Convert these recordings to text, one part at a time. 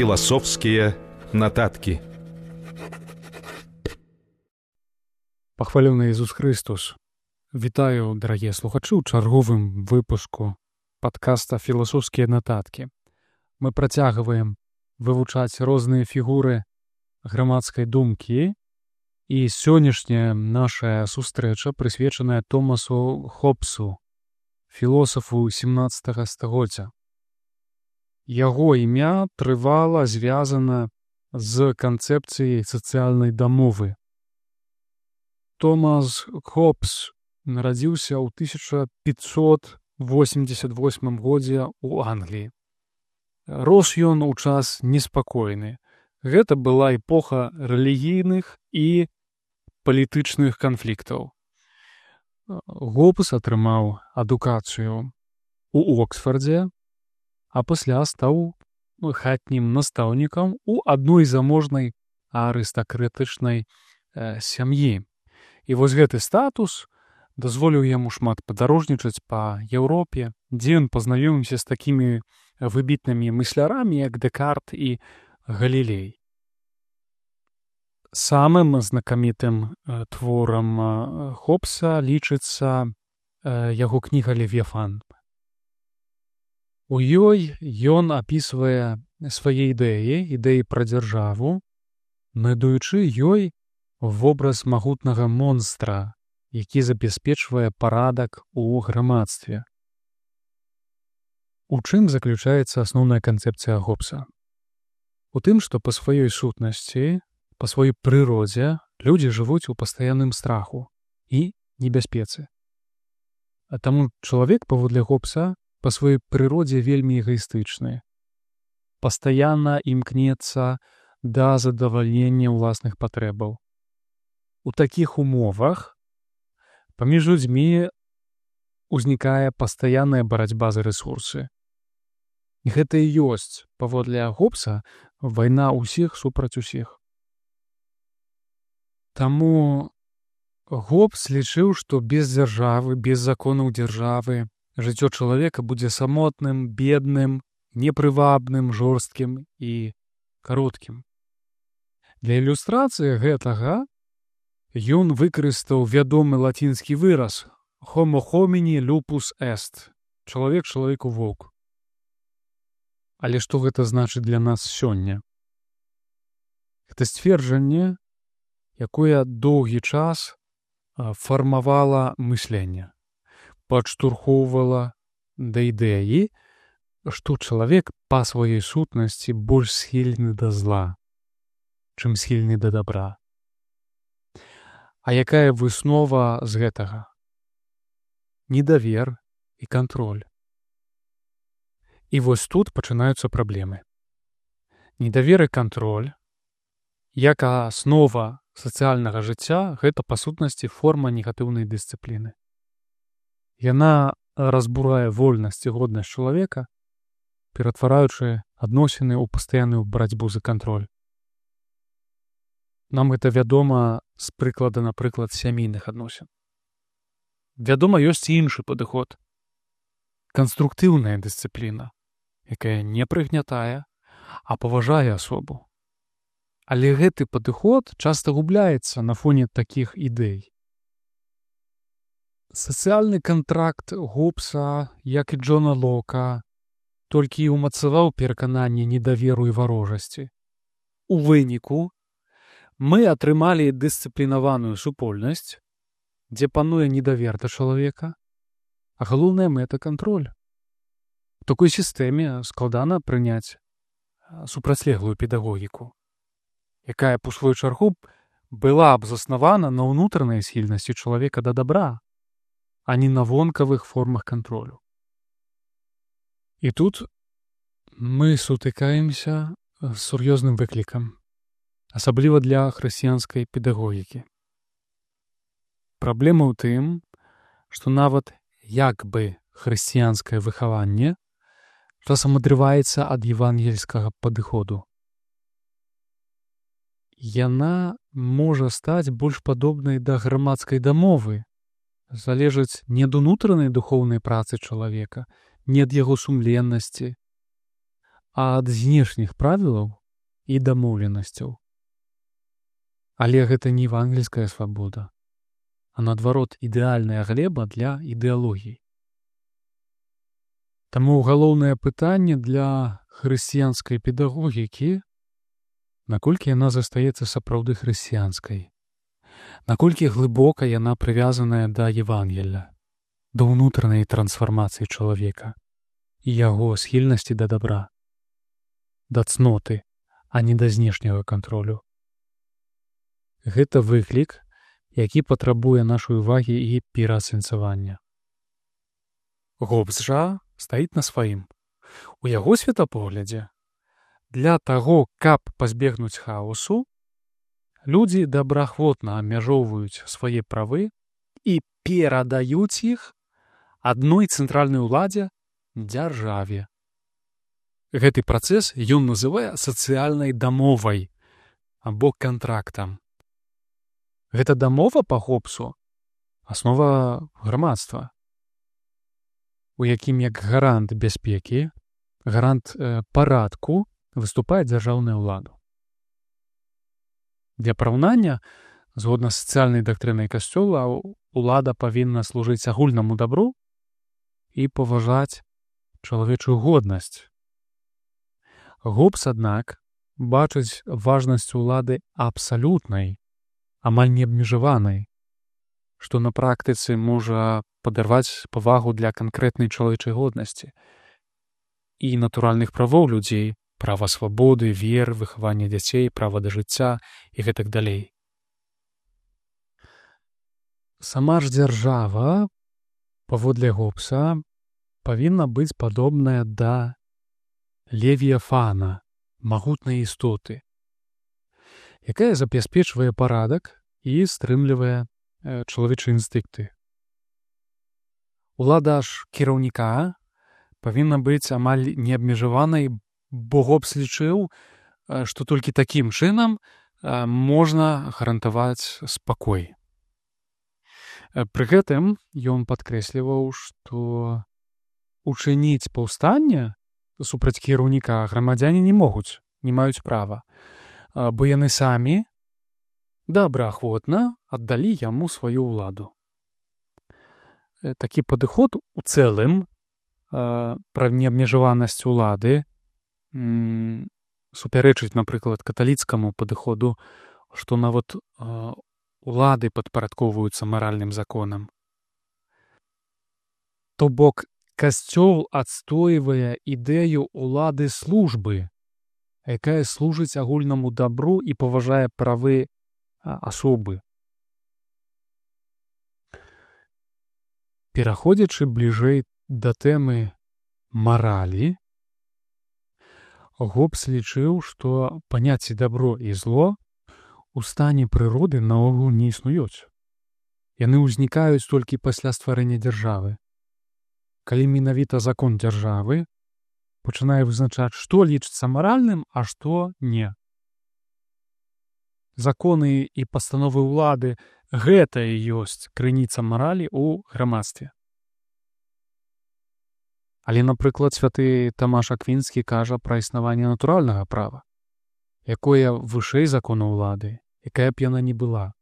Філасофскія нататкі. Пахвалёны Ісус Христос. Вітаю, дарагія слухачы, ў чарговым выпуску падкаста «Філасофскія нататкі». Мы працягваем вывучаць розныя фігуры грамадскай думкі, і сённяшняя наша сустрэча прысвечаная Томасу Хоббсу, філосафу 17 стагоддзя. Яго імя трывала звязана з канцэпцыяй сацыяльнай дамовы. Томас Хоббс нарадзіўся ў 1588 годзе ў Англіі. Рос ён у час неспакойны. Гэта была эпоха рэлігійных і палітычных канфліктаў. Хоббс атрымаў адукацыю ў Оксфардзе, а пасля стаў хатнім настаўнікам у адной заможнай арыстакратычнай сям'і. І вось гэты статус дазволіў яму шмат падарожнічаць па Еўропе, дзе ён пазнаёміўся з такімі выбітнымі мыслярамі, як Дэкарт і Галілей. Самым знакамітым творам Хоббса лічыцца яго кніга «Левіяфан». У ёй ён апісвае свае ідэі пра дзяржаву, надаючы ёй вобраз магутнага монстра, які забяспечвае парадак у грамадстве. У чым заключаецца асноўная канцэпцыя Хоббса? У тым, што па сваёй сутнасці, па сваёй прыродзе людзі жывуць у пастаянным страху і небяспецы. А таму чалавек, паводле Хоббса, па сваёй прыродзе вельмі эгаістычны. Пастаянна імкнецца да задавальнення ўласных патрэбаў. У такіх умовах паміж людзьмі ўзнікае пастаянная барацьба за рэсурсы. І гэта і ёсць, паводле Хоббса, вайна ўсіх супраць усіх. Таму Хоббс лічыў, што без дзяржавы, без законаў дзяржавы жыццё чалавека будзе самотным, бедным, непрывабным, жорсткім і кароткім. Для ілюстрацыі гэтага ён выкарыстаў вядомы лацінскі выраз «homo homini lupus est» – «чалавек чалавеку воўк». Але што гэта значыць для нас сёння? Гэта сцверджанне, якое доўгі час фармавала мысленне, падштурхоўвала да ідэі, што чалавек па сваёй сутнасці больш схільны да зла, чым схільны да дабра. А якая выснова з гэтага? Недавер і кантроль. І вось тут пачынаюцца праблемы. Недавер і кантроль, як аснова сацыяльнага жыцця, гэта па сутнасці форма негатыўнай дысцыпліны. Яна разбурае вольнасць і годнасць чалавека, ператвараючы адносіны ў пастаянную барацьбу за кантроль. Нам гэта вядома з прыклада, напрыклад, сямейных адносін. Вядома, ёсць і іншы падыход. Канструктыўная дысцыпліна, якая не прыгнятае, а паважае асобу. Але гэты падыход часта губляецца на фоне такіх ідэй. Сацыяльны кантракт Хоббса, як і Джона Лока, толькі ўмацаваў перакананне недаверу і варожасці. У выніку мы атрымалі дысцыплінаваную супольнасць, дзе пануе недавер да чалавека, а галоўная мэта — кантроль. У такой сістэме складана прыняць супрацьлеглую педагогіку, якая, па сваю чаргу, была б заснавана на ўнутранай схільнасці чалавека да дабра, а не на вонкавых формах кантролю. І тут мы сутыкаемся з сур'ёзным выклікам, асабліва для хрысціянскай педагогікі. Праблема ў тым, што нават як бы хрысціянскае выхаванне часам адрываецца ад евангельскага падыходу. Яна можа стаць больш падобнай да грамадскай дамовы, залежыць не ад унутранай духоўнай працы чалавека, не ад яго сумленнасці, ад знешніх правілаў і дамоўленасцяў. Але гэта не евангельская свабода, а наадварот ідэальная глеба для ідэалогій. Таму галоўнае пытанне для хрысціянскай педагогікі, наколькі яна застаецца сапраўды хрысціянскай, наколькі глыбока яна прывязаная да Евангелля, да ўнутранай трансфармацыі чалавека і яго схільнасці да дабра, да цноты, а не да знешняга кантролю. Гэта выклік, які патрабуе нашай увагі і пераасэнсавання. Гоббс жа стаіць на сваім. У яго светапоглядзе для таго, каб пазбегнуць хаосу, людзі добраахвотна абмяжоўваюць свае правы і перадаюць іх адной цэнтральнай уладзе — дзяржаве. Гэты працэс ён называе сацыяльнай дамовай або кантрактам. Гэта дамова па Гоббсу — аснова грамадства, у якім як гарант бяспекі, гарант парадку выступае дзяржаўная ўлада. Для параўнання, згодна з сацыяльнай дактрынай Касцёла, улада павінна служыць агульнаму дабру і паважаць чалавечую годнасць. Гоббс, аднак, бачыць важнасць улады абсалютнай, амаль неабмежаванай, што на практыцы можа падарваць павагу для канкрэтнай чалавечай годнасці і натуральных правоў людзей, права свабоды, веры, выхавання дзяцей, права да жыцця і гэтак далей. Сама ж дзяржава, паводле Гоббса, павінна быць падобная да левіяфана, магутнай істоты, якая забяспечвае парадак і стрымлівае чалавечыя інстынкты. Улада ж кіраўніка павінна быць амаль неабмежаванай, бо Гоббс лічыў, што толькі такім чынам можна гарантаваць спакой. Пры гэтым ён падкрэсліваў, што учыніць паўстанне супраць кіраўніка грамадзяне не могуць, не маюць права, бо яны самі добраахвотна аддалі яму сваю ўладу. Такі падыход у цэлым пра неабмежаванасць улады супярэчыць, напрыклад, каталіцкаму падыходу, што нават улады падпарадкоўваюцца маральным законам. То бок, Касцёл адстойвае ідэю улады службы, якая служыць агульнаму дабру і паважае правы асобы. Пераходзячы бліжэй да тэмы маралі, Гоббс лічыў, што паняцці дабро і зло у стане прыроды наогул не існуюць. Яны ўзнікаюць толькі пасля стварэння дзяржавы, калі менавіта закон дзяржавы пачынае вызначаць, што лічыцца маральным, а што не. Законы і пастановы ўлады — гэта і ёсць крыніца маралі ў грамадстве. Але, напрыклад, святы Тамаш Аквінскі кажа пра існаванне натуральнага права, якое вышэй закона ўлады, якая б яна ні была.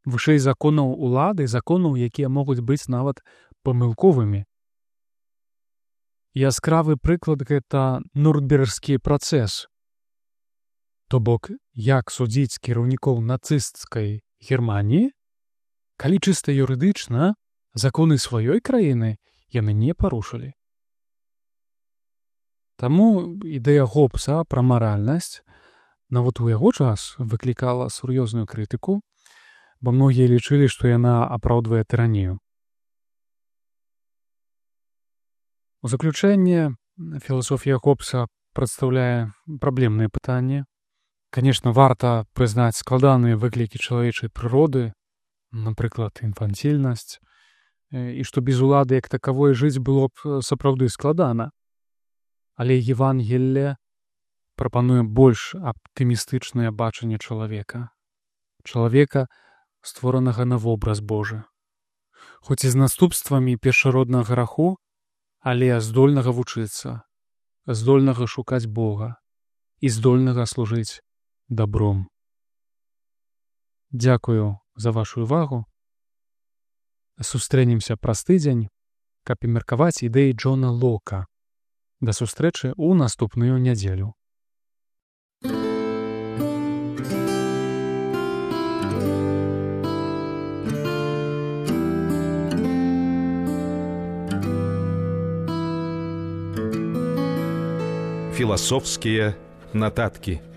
Вышэй законаў улады, законаў, якія могуць быць нават памылковымі. Яскравы прыклад — гэта Нюрнбергскі працэс. То бок, як судзіць кіраўнікоў нацысцкай Германіі, калі чыста юрыдычна законы сваёй краіны яны не парушылі. Таму ідэя Гоббса пра маральнасць нават у яго час выклікала сур'ёзную крытыку, бо многія лічылі, што яна апраўдвае тыранію. У заключэнне, філасофія Гоббса прадстаўляе праблемнае пытанне. Канешне, варта прызнаць складаныя выклікі чалавечай прыроды, напрыклад, інфанцільнасць, і што без улады як такавой жыць было б сапраўды складана. Але Евангелле прапануе больш аптымістычнае бачанне чалавека. Чалавека, створанага на вобраз Божы. Хоць і з наступствамі першароднага граху, але здольнага вучыцца, здольнага шукаць Бога і здольнага служыць дабром. Дзякую за вашу увагу. Сустрэнемся праз тыдзень, каб і меркаваць ідэі Джона Лока. Да сустрэчы ў наступную нядзелю. Философские нотатки.